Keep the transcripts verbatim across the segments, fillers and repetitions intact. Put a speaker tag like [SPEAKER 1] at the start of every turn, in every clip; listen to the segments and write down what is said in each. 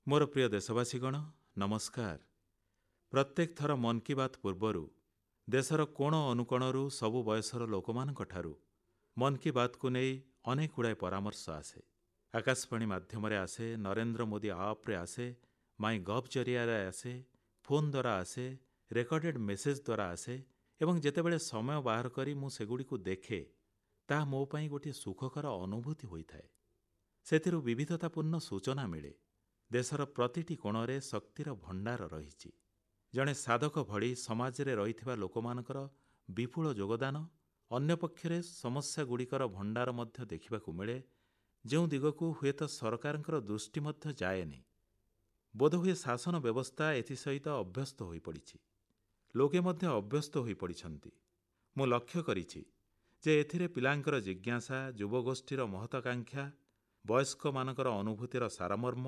[SPEAKER 1] ମୋର ପ୍ରିୟ ଦେଶବାସୀଗଣ, ନମସ୍କାର। ପ୍ରତ୍ୟେକ ଥର ମନ୍ କି ବାତ୍ ପୂର୍ବରୁ ଦେଶର କୋଣ ଅନୁକୋଣରୁ ସବୁ ବୟସର ଲୋକମାନଙ୍କଠାରୁ ମନ୍ କି ବାତ୍କୁ ନେଇ ଅନେକଗୁଡ଼ିଏ ପରାମର୍ଶ ଆସେ। ଆକାଶବାଣୀ ମାଧ୍ୟମରେ ଆସେ, ନରେନ୍ଦ୍ର ମୋଦୀ ଆପ୍ରେ ଆସେ, ମାଇ ଗଭ୍ ଜରିଆରେ ଆସେ, ଫୋନ୍ ଦ୍ୱାରା ଆସେ, ରେକର୍ଡେଡ୍ ମେସେଜ୍ ଦ୍ୱାରା ଆସେ ଏବଂ ଯେତେବେଳେ ସମୟ ବାହାର କରି ମୁଁ ସେଗୁଡ଼ିକୁ ଦେଖେ, ତାହା ମୋ ପାଇଁ ଗୋଟିଏ ସୁଖକର ଅନୁଭୂତି ହୋଇଥାଏ। ସେଥିରୁ ବିବିଧତାପୂର୍ଣ୍ଣ ସୂଚନା ମିଳେ। ଦେଶର ପ୍ରତିଟି କୋଣରେ ଶକ୍ତିର ଭଣ୍ଡାର ରହିଛି। ଜଣେ ସାଧକ ଭଳି ସମାଜରେ ରହିଥିବା ଲୋକମାନଙ୍କର ବିପୁଳ ଯୋଗଦାନ, ଅନ୍ୟପକ୍ଷରେ ସମସ୍ୟାଗୁଡ଼ିକର ଭଣ୍ଡାର ମଧ୍ୟ ଦେଖିବାକୁ ମିଳେ, ଯେଉଁ ଦିଗକୁ ହୁଏତ ସରକାରଙ୍କ ଦୃଷ୍ଟି ମଧ୍ୟ ଯାଏନି। ବୋଧହୁଏ ଶାସନ ବ୍ୟବସ୍ଥା ଏଥିସହିତ ଅଭ୍ୟସ୍ତ ହୋଇପଡ଼ିଛି। ଲୋକେ ମଧ୍ୟ ଅଭ୍ୟସ୍ତ ହୋଇପଡ଼ିଛନ୍ତି। ମୁଁ ଲକ୍ଷ୍ୟ କରିଛି ଯେ ଏଥିରେ ପିଲାଙ୍କର ଜିଜ୍ଞାସା, ଯୁବଗୋଷ୍ଠୀର ମହତ୍ୱାକାଂକ୍ଷା, ବୟସ୍କମାନଙ୍କର ଅନୁଭୂତିର ସାରମର୍ମ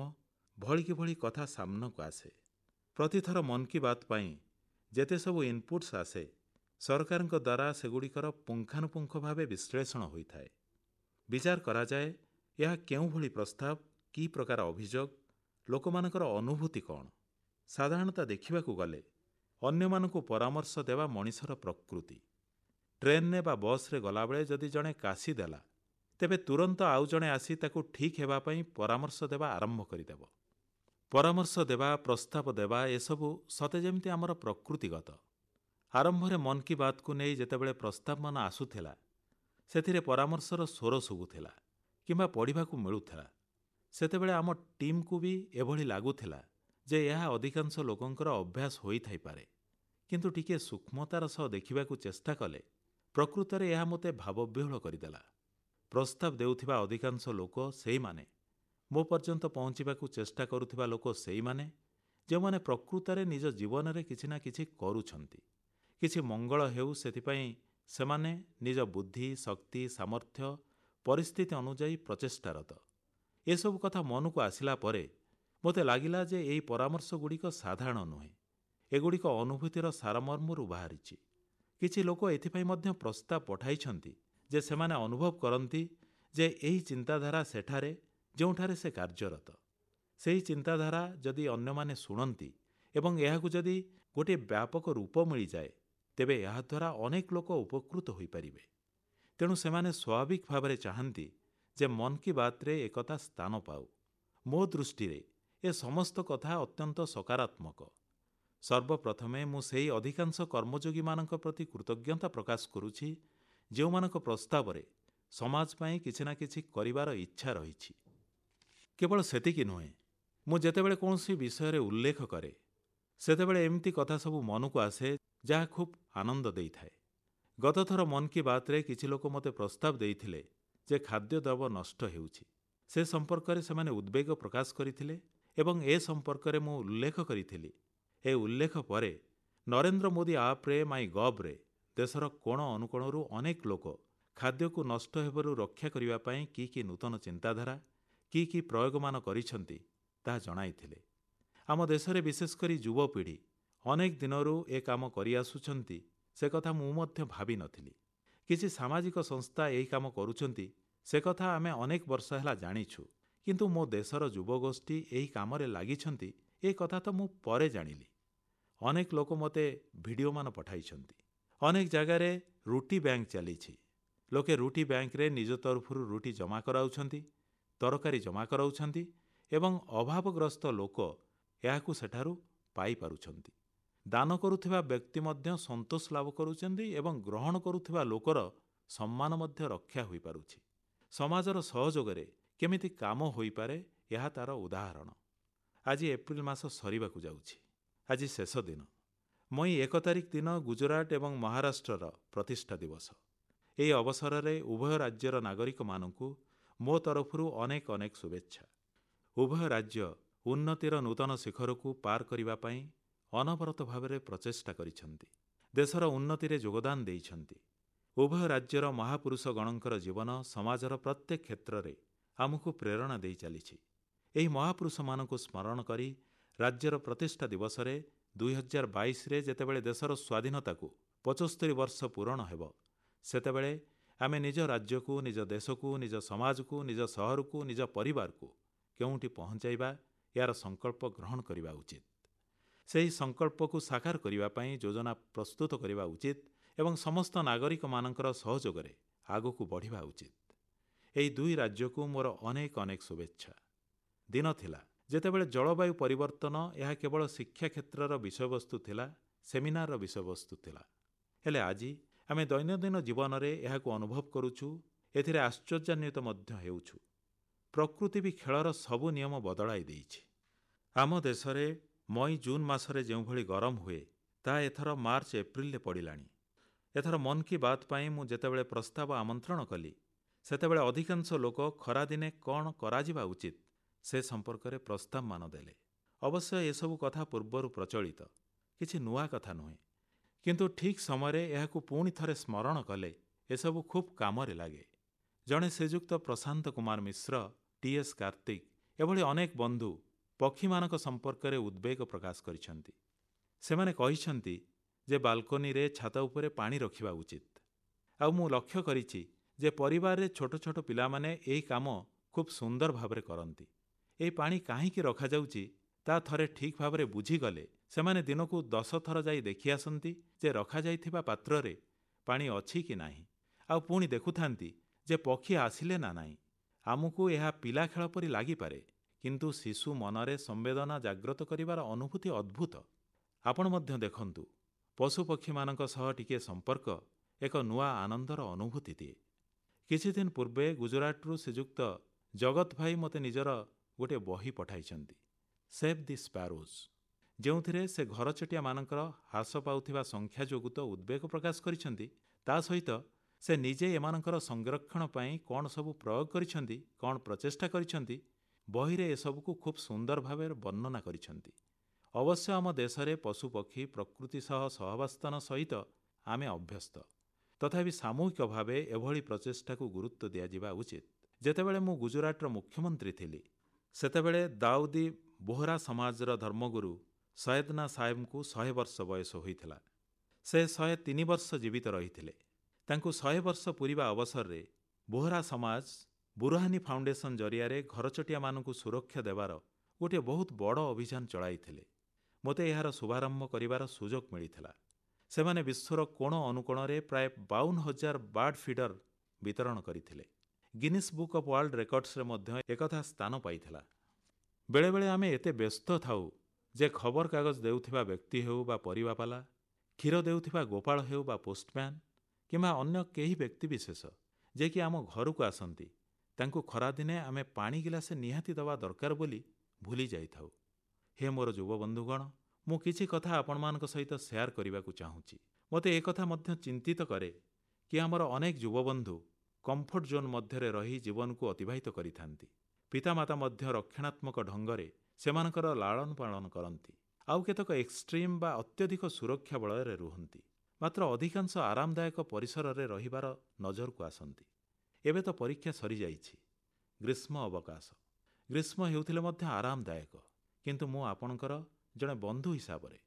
[SPEAKER 1] ଭଳିକି ଭଳି କଥା ସାମ୍ନାକୁ ଆସେ। ପ୍ରତିଥର ମନ୍ କି ବାତ୍ ପାଇଁ ଯେତେ ସବୁ ଇନପୁଟ୍ସ ଆସେ, ସରକାରଙ୍କ ଦ୍ୱାରା ସେଗୁଡ଼ିକର ପୁଙ୍ଖାନୁପୁଙ୍ଖ ଭାବେ ବିଶ୍ଳେଷଣ ହୋଇଥାଏ। ବିଚାର କରାଯାଏ, ଏହା କେଉଁଭଳି ପ୍ରସ୍ତାବ, କି ପ୍ରକାର ଅଭିଯୋଗ, ଲୋକମାନଙ୍କର ଅନୁଭୂତି କଣ? ସାଧାରଣତଃ ଦେଖିବାକୁ ଗଲେ ଅନ୍ୟମାନଙ୍କୁ ପରାମର୍ଶ ଦେବା ମଣିଷର ପ୍ରକୃତି। ଟ୍ରେନରେ ବା ବସ୍ରେ ଗଲାବେଳେ ଯଦି ଜଣେ କାଶିଦେଲା, ତେବେ ତୁରନ୍ତ ଆଉ ଜଣେ ଆସି ତାକୁ ଠିକ୍ ହେବା ପାଇଁ ପରାମର୍ଶ ଦେବା ଆରମ୍ଭ କରିଦେବ। ପରାମର୍ଶ ଦେବା, ପ୍ରସ୍ତାବ ଦେବା, ଏସବୁ ସତେ ଯେମିତି ଆମର ପ୍ରକୃତିଗତ। ଆରମ୍ଭରେ ମନ୍ କି ବାତ୍କୁ ନେଇ ଯେତେବେଳେ ପ୍ରସ୍ତାବମାନ ଆସୁଥିଲା, ସେଥିରେ ପରାମର୍ଶର ସ୍ୱର ଶୁଭୁଥିଲା କିମ୍ବା ପଢ଼ିବାକୁ ମିଳୁଥିଲା, ସେତେବେଳେ ଆମ ଟିମ୍କୁ ବି ଏଭଳି ଲାଗୁଥିଲା ଯେ ଏହା ଅଧିକାଂଶ ଲୋକଙ୍କର ଅଭ୍ୟାସ ହୋଇଥାଇପାରେ। କିନ୍ତୁ ଟିକିଏ ସୂକ୍ଷ୍ମତାର ସହ ଦେଖିବାକୁ ଚେଷ୍ଟା କଲେ ପ୍ରକୃତରେ ଏହା ମୋତେ ଭାବବିହ୍ୱଳ କରିଦେଲା। ପ୍ରସ୍ତାବ ଦେଉଥିବା ଅଧିକାଂଶ ଲୋକ ସେଇମାନେ, ମୋ ପର୍ଯ୍ୟନ୍ତ ପହଂଚିବାକୁ ଚେଷ୍ଟା କରୁଥିବା ଲୋକ ସେଇମାନେ, ଯେଉଁମାନେ ପ୍ରକୃତରେ ନିଜ ଜୀବନରେ କିଛି ନା କିଛି କରୁଛନ୍ତି। କିଛି ମଙ୍ଗଳ ହେଉ, ସେଥିପାଇଁ ସେମାନେ ନିଜ ବୁଦ୍ଧି, ଶକ୍ତି, ସାମର୍ଥ୍ୟ, ପରିସ୍ଥିତି ଅନୁଯାୟୀ ପ୍ରଚେଷ୍ଟାରତ। ଏସବୁ କଥା ମନକୁ ଆସିଲା ପରେ ମୋତେ ଲାଗିଲା ଯେ ଏହି ପରାମର୍ଶଗୁଡ଼ିକ ସାଧାରଣ ନୁହେଁ। ଏଗୁଡ଼ିକ ଅନୁଭୂତିର ସାରମର୍ମରୁ ବାହାରିଛି। କିଛି ଲୋକ ଏଥିପାଇଁ ମଧ୍ୟ ପ୍ରସ୍ତାବ ପଠାଇଛନ୍ତି ଯେ ସେମାନେ ଅନୁଭବ କରନ୍ତି ଯେ ଏହି ଚିନ୍ତାଧାରା ସେଠାରେ, ଯେଉଁଠାରେ ସେ କାର୍ଯ୍ୟରତ, ସେହି ଚିନ୍ତାଧାରା ଯଦି ଅନ୍ୟମାନେ ଶୁଣନ୍ତି ଏବଂ ଏହାକୁ ଯଦି ଗୋଟିଏ ବ୍ୟାପକ ରୂପ ମିଳିଯାଏ, ତେବେ ଏହାଦ୍ୱାରା ଅନେକ ଲୋକ ଉପକୃତ ହୋଇପାରିବେ। ତେଣୁ ସେମାନେ ସ୍ୱାଭାବିକ ଭାବରେ ଚାହାନ୍ତି ଯେ ମନ୍ କି ବାତ୍ରେ ଏକଥା ସ୍ଥାନ ପାଉ। ମୋ ଦୃଷ୍ଟିରେ ଏ ସମସ୍ତ କଥା ଅତ୍ୟନ୍ତ ସକାରାତ୍ମକ। ସର୍ବପ୍ରଥମେ ମୁଁ ସେହି ଅଧିକାଂଶ କର୍ମଯୋଗୀମାନଙ୍କ ପ୍ରତି କୃତଜ୍ଞତା ପ୍ରକାଶ କରୁଛି, ଯେଉଁମାନଙ୍କ ପ୍ରସ୍ତାବରେ ସମାଜ ପାଇଁ କିଛି ନା କିଛି କରିବାର ଇଚ୍ଛା ରହିଛି। କେବଳ ସେତିକି ନୁହେଁ, ମୁଁ ଯେତେବେଳେ କୌଣସି ବିଷୟରେ ଉଲ୍ଲେଖ କରେ, ସେତେବେଳେ ଏମିତି କଥା ସବୁ ମନକୁ ଆସେ ଯାହା ଖୁବ୍ ଆନନ୍ଦ ଦେଇଥାଏ। ଗତଥର ମନ୍ କି ବାତ୍ରେ କିଛି ଲୋକ ମୋତେ ପ୍ରସ୍ତାବ ଦେଇଥିଲେ ଯେ ଖାଦ୍ୟଦ୍ରବ୍ୟ ନଷ୍ଟ ହେଉଛି। ସେ ସମ୍ପର୍କରେ ସେମାନେ ଉଦ୍ବେଗ ପ୍ରକାଶ କରିଥିଲେ ଏବଂ ଏ ସମ୍ପର୍କରେ ମୁଁ ଉଲ୍ଲେଖ କରିଥିଲି। ଏ ଉଲ୍ଲେଖ ପରେ ନରେନ୍ଦ୍ର ମୋଦୀ ଆପ୍ରେ, ମାଇ ଗଭ୍ରେ ଦେଶର କୋଣ ଅନୁକୋଣରୁ ଅନେକ ଲୋକ ଖାଦ୍ୟକୁ ନଷ୍ଟ ହେବାରୁ ରକ୍ଷା କରିବା ପାଇଁ କି କି ନୂତନ ଚିନ୍ତାଧାରା, କି କି ପ୍ରୟୋଗମାନ କରିଛନ୍ତି, ତାହା ଜଣାଇଥିଲେ। ଆମ ଦେଶରେ ବିଶେଷ କରି ଯୁବପିଢ଼ି ଅନେକ ଦିନରୁ ଏ କାମ କରିଆସୁଛନ୍ତି, ସେ କଥା ମୁଁ ମଧ୍ୟ ଭାବିନଥିଲି। କିଛି ସାମାଜିକ ସଂସ୍ଥା ଏହି କାମ କରୁଛନ୍ତି, ସେ କଥା ଆମେ ଅନେକ ବର୍ଷ ହେଲା ଜାଣିଛୁ। କିନ୍ତୁ ମୋ ଦେଶର ଯୁବଗୋଷ୍ଠୀ ଏହି କାମରେ ଲାଗିଛନ୍ତି, ଏ କଥା ତ ମୁଁ ପରେ ଜାଣିଲି। ଅନେକ ଲୋକ ମୋତେ ଭିଡିଓମାନ ପଠାଇଛନ୍ତି। ଅନେକ ଜାଗାରେ ରୁଟି ବ୍ୟାଙ୍କ ଚାଲିଛି। ଲୋକେ ରୁଟି ବ୍ୟାଙ୍କରେ ନିଜ ତରଫରୁ ରୁଟି ଜମା କରାଉଛନ୍ତି, ତରକାରୀ ଜମା କରାଉଛନ୍ତି ଏବଂ ଅଭାବଗ୍ରସ୍ତ ଲୋକ ଏହାକୁ ସେଠାରୁ ପାଇପାରୁଛନ୍ତି। ଦାନ କରୁଥିବା ବ୍ୟକ୍ତି ମଧ୍ୟ ସନ୍ତୋଷ ଲାଭ କରୁଛନ୍ତି ଏବଂ ଗ୍ରହଣ କରୁଥିବା ଲୋକର ସମ୍ମାନ ମଧ୍ୟ ରକ୍ଷା ହୋଇପାରୁଛି। ସମାଜର ସହଯୋଗରେ କେମିତି କାମ ହୋଇପାରେ, ଏହା ତାର ଉଦାହରଣ। ଆଜି ଏପ୍ରିଲ ମାସ ସରିବାକୁ ଯାଉଛି। ଆଜି ଶେଷ ଦିନ। ମଇ ଏକ ତାରିଖ ଦିନ ଗୁଜରାଟ ଏବଂ ମହାରାଷ୍ଟ୍ରର ପ୍ରତିଷ୍ଠା ଦିବସ। ଏହି ଅବସରରେ ଉଭୟ ରାଜ୍ୟର ନାଗରିକମାନଙ୍କୁ ମୋ ତରଫରୁ ଅନେକ ଅନେକ ଶୁଭେଚ୍ଛା। ଉଭୟ ରାଜ୍ୟ ଉନ୍ନତିର ନୂତନ ଶିଖରକୁ ପାର କରିବା ପାଇଁ ଅନବରତ ଭାବରେ ପ୍ରଚେଷ୍ଟା କରିଛନ୍ତି। ଦେଶର ଉନ୍ନତିରେ ଯୋଗଦାନ ଦେଇଛନ୍ତି। ଉଭୟ ରାଜ୍ୟର ମହାପୁରୁଷଗଣଙ୍କର ଜୀବନ ସମାଜର ପ୍ରତ୍ୟେକ କ୍ଷେତ୍ରରେ ଆମକୁ ପ୍ରେରଣା ଦେଇ ଚାଲିଛି। ଏହି ମହାପୁରୁଷମାନଙ୍କୁ ସ୍ମରଣ କରି ରାଜ୍ୟର ପ୍ରତିଷ୍ଠା ଦିବସରେ ଦୁଇ ହଜାର ବାଇଶରେ ଯେତେବେଳେ ଦେଶର ସ୍ୱାଧୀନତାକୁ ପଚସ୍ତରୀ ବର୍ଷ ପୂରଣ ହେବ, ସେତେବେଳେ ଆମେ ନିଜ ରାଜ୍ୟକୁ, ନିଜ ଦେଶକୁ, ନିଜ ସମାଜକୁ, ନିଜ ସହରକୁ, ନିଜ ପରିବାରକୁ କେଉଁଠି ପହଞ୍ଚାଇବା, ଏହାର ସଂକଳ୍ପ ଗ୍ରହଣ କରିବା ଉଚିତ। ସେହି ସଂକଳ୍ପକୁ ସାକାର କରିବା ପାଇଁ ଯୋଜନା ପ୍ରସ୍ତୁତ କରିବା ଉଚିତ ଏବଂ ସମସ୍ତ ନାଗରିକମାନଙ୍କର ସହଯୋଗରେ ଆଗକୁ ବଢ଼ିବା ଉଚିତ। ଏହି ଦୁଇ ରାଜ୍ୟକୁ ମୋର ଅନେକ ଅନେକ ଶୁଭେଚ୍ଛା। ଦିନ ଥିଲା ଯେତେବେଳେ ଜଳବାୟୁ ପରିବର୍ତ୍ତନ ଏହା କେବଳ ଶିକ୍ଷା କ୍ଷେତ୍ରର ବିଷୟବସ୍ତୁ ଥିଲା, ସେମିନାରର ବିଷୟବସ୍ତୁ ଥିଲା। ହେଲେ ଆଜି ଆମେ ଦୈନନ୍ଦିନ ଜୀବନରେ ଏହାକୁ ଅନୁଭବ କରୁଛୁ, ଏଥିରେ ଆଶ୍ଚର୍ଯ୍ୟାନ୍ୱିତ ମଧ୍ୟ ହେଉଛୁ। ପ୍ରକୃତି ବି ଖେଳର ସବୁ ନିୟମ ବଦଳାଇ ଦେଇଛି। ଆମ ଦେଶରେ ମଇ ଜୁନ୍ ମାସରେ ଯେଉଁଭଳି ଗରମ ହୁଏ, ତାହା ଏଥର ମାର୍ଚ୍ଚ ଏପ୍ରିଲରେ ପଡ଼ିଲାଣି। ଏଥର ମନ୍ କି ବାତ୍ ପାଇଁ ମୁଁ ଯେତେବେଳେ ପ୍ରସ୍ତାବ ଆମନ୍ତ୍ରଣ କଲି, ସେତେବେଳେ ଅଧିକାଂଶ ଲୋକ ଖରାଦିନେ କଣ କରାଯିବା ଉଚିତ ସେ ସମ୍ପର୍କରେ ପ୍ରସ୍ତାବମାନ ଦେଲେ। ଅବଶ୍ୟ ଏସବୁ କଥା ପୂର୍ବରୁ ପ୍ରଚଳିତ, କିଛି ନୂଆ କଥା ନୁହେଁ। କିନ୍ତୁ ଠିକ୍ ସମୟରେ ଏହାକୁ ପୁଣି ଥରେ ସ୍ମରଣ କଲେ ଏସବୁ ଖୁବ୍ କାମରେ ଲାଗେ। ଜଣେ ଶ୍ରୀଯୁକ୍ତ ପ୍ରଶାନ୍ତ କୁମାର ମିଶ୍ର, ଟି ଏସ୍ କାର୍ତ୍ତିକ ଏଭଳି ଅନେକ ବନ୍ଧୁ ପକ୍ଷୀମାନଙ୍କ ସମ୍ପର୍କରେ ଉଦ୍ବେଗ ପ୍ରକାଶ କରିଛନ୍ତି। ସେମାନେ କହିଛନ୍ତି ଯେ ବାଲକୋନିରେ, ଛାତ ଉପରେ ପାଣି ରଖିବା ଉଚିତ। ଆଉ ମୁଁ ଲକ୍ଷ୍ୟ କରିଛି ଯେ ପରିବାରରେ ଛୋଟ ଛୋଟ ପିଲାମାନେ ଏହି କାମ ଖୁବ୍ ସୁନ୍ଦର ଭାବରେ କରନ୍ତି। ଏହି ପାଣି କାହିଁକି ରଖାଯାଉଛି ତାହା ଥରେ ଠିକ୍ ଭାବରେ ବୁଝିଗଲେ ସେମାନେ ଦିନକୁ ଦଶଥର ଯାଇ ଦେଖିଆସନ୍ତି ଯେ ରଖାଯାଇଥିବା ପାତ୍ରରେ ପାଣି ଅଛି କି ନାହିଁ। ଆଉ ପୁଣି ଦେଖୁଥାନ୍ତି ଯେ ପକ୍ଷୀ ଆସିଲେ ନା ନାହିଁ। ଆମକୁ ଏହା ପିଲାଖେଳ ପରି ଲାଗିପାରେ, କିନ୍ତୁ ଶିଶୁ ମନରେ ସମ୍ବେଦନା ଜାଗ୍ରତ କରିବାର ଅନୁଭୂତି ଅଦ୍ଭୁତ। ଆପଣ ମଧ୍ୟ ଦେଖନ୍ତୁ, ପଶୁପକ୍ଷୀମାନଙ୍କ ସହ ଟିକିଏ ସମ୍ପର୍କ ଏକ ନୂଆ ଆନନ୍ଦର ଅନୁଭୂତି ଦିଏ। କିଛିଦିନ ପୂର୍ବେ ଗୁଜରାଟରୁ ଶ୍ରୀଯୁକ୍ତ ଜଗତ ଭାଇ ମୋତେ ନିଜର ଗୋଟିଏ ବହି ପଠାଇଛନ୍ତି, ସେଭ୍ ଦି ସ୍ପାରୋଜ୍, ଯେଉଁଥିରେ ସେ ଘରଚଟିଆମାନଙ୍କର ହ୍ରାସ ପାଉଥିବା ସଂଖ୍ୟା ଯୋଗୁଁ ତ ଉଦ୍ବେଗ ପ୍ରକାଶ କରିଛନ୍ତି, ତା ସହିତ ସେ ନିଜେ ଏମାନଙ୍କର ସଂରକ୍ଷଣ ପାଇଁ କଣ ସବୁ ପ୍ରୟୋଗ କରିଛନ୍ତି, କଣ ପ୍ରଚେଷ୍ଟା କରିଛନ୍ତି, ବହିରେ ଏସବୁକୁ ଖୁବ୍ ସୁନ୍ଦର ଭାବରେ ବର୍ଣ୍ଣନା କରିଛନ୍ତି। ଅବଶ୍ୟ ଆମ ଦେଶରେ ପଶୁପକ୍ଷୀ ପ୍ରକୃତି ସହ ସହାବସ୍ଥାନ ସହିତ ଆମେ ଅଭ୍ୟସ୍ତ। ତଥାପି ସାମୂହିକ ଭାବେ ଏଭଳି ପ୍ରଚେଷ୍ଟାକୁ ଗୁରୁତ୍ୱ ଦିଆଯିବା ଉଚିତ। ଯେତେବେଳେ ମୁଁ ଗୁଜରାଟର ମୁଖ୍ୟମନ୍ତ୍ରୀ ଥିଲି, ସେତେବେଳେ ଦାଉଦି ବୋହରା ସମାଜର ଧର୍ମଗୁରୁ ସୈୟଦନା ସାହେବଙ୍କୁ ଶହେ ବର୍ଷ ବୟସ ହୋଇଥିଲା। ସେ ଶହେ ତିନି ବର୍ଷ ଜୀବିତ ରହିଥିଲେ। ତାଙ୍କୁ ଶହେ ବର୍ଷ ପୂରିବା ଅବସରରେ ବୋହରା ସମାଜ ବୁରହାନି ଫାଉଣ୍ଡେସନ ଜରିଆରେ ଘରଚଟିଆମାନଙ୍କୁ ସୁରକ୍ଷା ଦେବାର ଗୋଟିଏ ବହୁତ ବଡ଼ ଅଭିଯାନ ଚଳାଇଥିଲେ। ମୋତେ ଏହାର ଶୁଭାରମ୍ଭ କରିବାର ସୁଯୋଗ ମିଳିଥିଲା। ସେମାନେ ବିଶ୍ୱର କୋଣ ଅନୁକୋଣରେ ପ୍ରାୟ ବାଉନ ହଜାର ବାର୍ଡ ଫିଡର ବିତରଣ କରିଥିଲେ। ଗିନିସ୍ ବୁକ୍ ଅଫ୍ ୱାର୍ଲଡ ରେକର୍ଡସରେ ମଧ୍ୟ ଏକଥା ସ୍ଥାନ ପାଇଥିଲା। ବେଳେବେଳେ ଆମେ ଏତେ ବ୍ୟସ୍ତ ଥାଉ ଯେ ଖବରକାଗଜ ଦେଉଥିବା ବ୍ୟକ୍ତି ହେଉ ବା ପରିବାବାଲା, କ୍ଷୀର ଦେଉଥିବା ଗୋପାଳ ହେଉ ବା ପୋଷ୍ଟମ୍ୟାନ୍ କିମ୍ବା ଅନ୍ୟ କେହି ବ୍ୟକ୍ତିବିଶେଷ ଯିଏକି ଆମ ଘରକୁ ଆସନ୍ତି, ତାଙ୍କୁ ଖରାଦିନେ ଆମେ ପାଣି ଗିଲାସେ ନିହାତି ଦେବା ଦରକାର ବୋଲି ଭୁଲି ଯାଇଥାଉ। ହେ ମୋର ଯୁବବନ୍ଧୁଗଣ, ମୁଁ କିଛି କଥା ଆପଣମାନଙ୍କ ସହିତ ସେୟାର କରିବାକୁ ଚାହୁଁଛି। ମୋତେ ଏକଥା ମଧ୍ୟ ଚିନ୍ତିତ କରେ କି ଆମର ଅନେକ ଯୁବବନ୍ଧୁ କମ୍ଫର୍ଟ ଜୋନ୍ ମଧ୍ୟରେ ରହି ଜୀବନକୁ ଅତିବାହିତ କରିଥାନ୍ତି। ପିତାମାତା ମଧ୍ୟ ରକ୍ଷଣାତ୍ମକ ଢଙ୍ଗରେ ସେମାନଙ୍କର ଲାଳନ ପାଳନ କରନ୍ତି। ଆଉ କେତେକ ଏକ୍ସଟ୍ରିମ୍ ବା ଅତ୍ୟଧିକ ସୁରକ୍ଷା ବଳୟରେ ରୁହନ୍ତି। ମାତ୍ର ଅଧିକାଂଶ ଆରାମଦାୟକ ପରିସରରେ ରହିବାର ନଜରକୁ ଆସନ୍ତି। ଏବେ ତ ପରୀକ୍ଷା ସରିଯାଇଛି, ଗ୍ରୀଷ୍ମ ଅବକାଶ। ଗ୍ରୀଷ୍ମ ହେଉଥିଲେ ମଧ୍ୟ ଆରାମଦାୟକ। କିନ୍ତୁ ମୁଁ ଆପଣଙ୍କର ଜଣେ ବନ୍ଧୁ ହିସାବରେ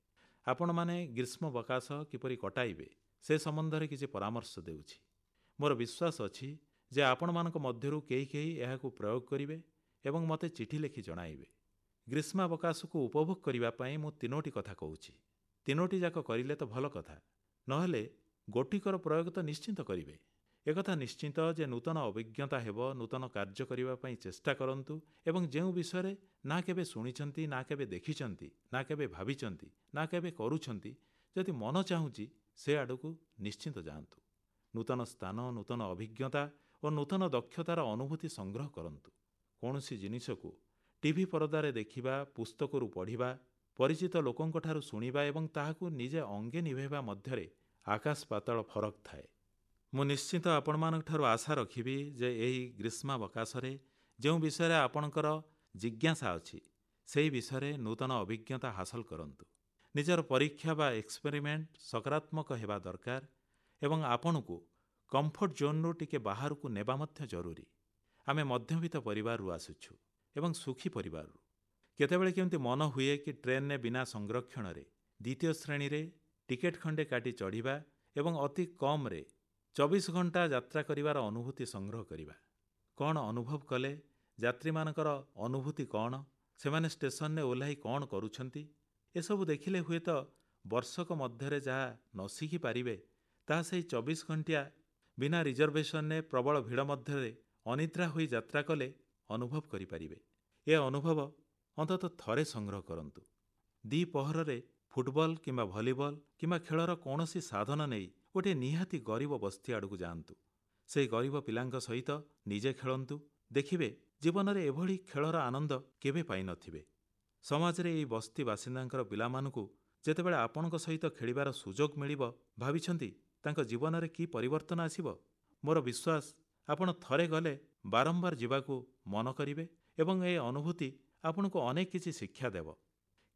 [SPEAKER 1] ଆପଣମାନେ ଗ୍ରୀଷ୍ମାବକାଶ କିପରି କଟାଇବେ ସେ ସମ୍ବନ୍ଧରେ କିଛି ପରାମର୍ଶ ଦେଉଛି। ମୋର ବିଶ୍ୱାସ ଅଛି ଯେ ଆପଣମାନଙ୍କ ମଧ୍ୟରୁ କେହି କେହି ଏହାକୁ ପ୍ରୟୋଗ କରିବେ ଏବଂ ମୋତେ ଚିଠି ଲେଖି ଜଣାଇବେ। ଗ୍ରୀଷ୍ମାବକାଶକୁ ଉପଭୋଗ କରିବା ପାଇଁ ମୁଁ ତିନୋଟି କଥା କହୁଛି। ତିନୋଟି ଯାକ କରିଲେ ତ ଭଲ କଥା, ନହେଲେ ଗୋଟିକର ପ୍ରୟୋଗ ତ ନିଶ୍ଚିତ କରିବେ। ଏକଥା ନିଶ୍ଚିତ ଯେ ନୂତନ ଅଭିଜ୍ଞତା ହେବ, ନୂତନ କାର୍ଯ୍ୟ କରିବା ପାଇଁ ଚେଷ୍ଟା କରନ୍ତୁ ଏବଂ ଯେଉଁ ବିଷୟରେ ନା କେବେ ଶୁଣିଛନ୍ତି, ନା କେବେ ଦେଖିଛନ୍ତି, ନା କେବେ ଭାବିଛନ୍ତି, ନା କେବେ କରୁଛନ୍ତି, ଯଦି ମନ ଚାହୁଁଛି ସେ ଆଡ଼କୁ ନିଶ୍ଚିତ ଯାଆନ୍ତୁ। ନୂତନ ସ୍ଥାନ, ନୂତନ ଅଭିଜ୍ଞତା ଓ ନୂତନ ଦକ୍ଷତାର ଅନୁଭୂତି ସଂଗ୍ରହ କରନ୍ତୁ। କୌଣସି ଜିନିଷକୁ ଟିଭି ପରଦାରେ ଦେଖିବା, ପୁସ୍ତକରୁ ପଢ଼ିବା, ପରିଚିତ ଲୋକଙ୍କଠାରୁ ଶୁଣିବା ଏବଂ ତାହାକୁ ନିଜେ ଅଙ୍ଗେ ନିଭାଇବା ମଧ୍ୟରେ ଆକାଶ ପାତାଳ ଫରକ ଥାଏ। ମୁଁ ନିଶ୍ଚିତ ଆପଣମାନଙ୍କଠାରୁ ଆଶା ରଖିବି ଯେ ଏହି ଗ୍ରୀଷ୍ମାବକାଶରେ ଯେଉଁ ବିଷୟରେ ଆପଣଙ୍କର ଜିଜ୍ଞାସା ଅଛି, ସେହି ବିଷୟରେ ନୂତନ ଅଭିଜ୍ଞତା ହାସଲ କରନ୍ତୁ। ନିଜର ପରୀକ୍ଷା ବା ଏକ୍ସପେରିମେଣ୍ଟ ସକାରାତ୍ମକ ହେବା ଦରକାର ଏବଂ ଆପଣଙ୍କୁ କମ୍ଫର୍ଟ ଜୋନ୍ରୁ ଟିକେ ବାହାରକୁ ନେବା ମଧ୍ୟ ଜରୁରୀ। ଆମେ ମଧ୍ୟବିତ୍ତ ପରିବାରରୁ ଆସୁଛୁ ଏବଂ ସୁଖୀ ପରିବାରରୁ। କେତେବେଳେ କେମିତି ମନ ହୁଏ କି ଟ୍ରେନ୍ରେ ବିନା ସଂରକ୍ଷଣରେ ଦ୍ୱିତୀୟ ଶ୍ରେଣୀରେ ଟିକେଟ୍ ଖଣ୍ଡେ କାଟି ଚଢ଼ିବା ଏବଂ ଅତି କମ୍ରେ ଚବିଶ ଘଣ୍ଟା ଯାତ୍ରା କରିବାର ଅନୁଭୂତି ସଂଗ୍ରହ କରିବା। କ'ଣ ଅନୁଭବ କଲେ, ଯାତ୍ରୀମାନଙ୍କର ଅନୁଭୂତି କ'ଣ, ସେମାନେ ଷ୍ଟେସନରେ ଓହ୍ଲାଇ କଣ କରୁଛନ୍ତି, ଏସବୁ ଦେଖିଲେ ହୁଏତ ବର୍ଷକ ମଧ୍ୟରେ ଯାହା ନ ଶିଖିପାରିବେ ତାହା ସେହି ଚବିଶ ଘଣ୍ଟିଆ ବିନା ରିଜର୍ଭେସନରେ ପ୍ରବଳ ଭିଡ଼ ମଧ୍ୟରେ ଅନିଦ୍ରା ହୋଇ ଯାତ୍ରା କଲେ ଅନୁଭବ କରିପାରିବେ। ଏ ଅନୁଭବ ଅନ୍ତତଃ ଥରେ ସଂଗ୍ରହ କରନ୍ତୁ। ଦ୍ୱିପ୍ରହରରେ ଫୁଟବଲ କିମ୍ବା ଭଲିବଲ କିମ୍ବା ଖେଳର କୌଣସି ସାଧନ ନେଇ ଗୋଟିଏ ନିହାତି ଗରିବ ବସ୍ତି ଆଡ଼କୁ ଯାଆନ୍ତୁ। ସେହି ଗରିବ ପିଲାଙ୍କ ସହିତ ନିଜେ ଖେଳନ୍ତୁ। ଦେଖିବେ ଜୀବନରେ ଏଭଳି ଖେଳର ଆନନ୍ଦ କେବେ ପାଇନଥିବେ। ସମାଜରେ ଏହି ବସ୍ତି ବାସିନ୍ଦାଙ୍କ ପିଲାମାନଙ୍କୁ ଯେତେବେଳେ ଆପଣଙ୍କ ସହିତ ଖେଳିବାର ସୁଯୋଗ ମିଳିବ, ଭାବିଛନ୍ତି ତାଙ୍କ ଜୀବନରେ କି ପରିବର୍ତ୍ତନ ଆସିବ? ମୋର ବିଶ୍ୱାସ ଆପଣ ଥରେ ଗଲେ ବାରମ୍ବାର ଯିବାକୁ ମନ କରିବେ ଏବଂ ଏ ଅନୁଭୂତି ଆପଣଙ୍କୁ ଅନେକ କିଛି ଶିକ୍ଷା ଦେବ।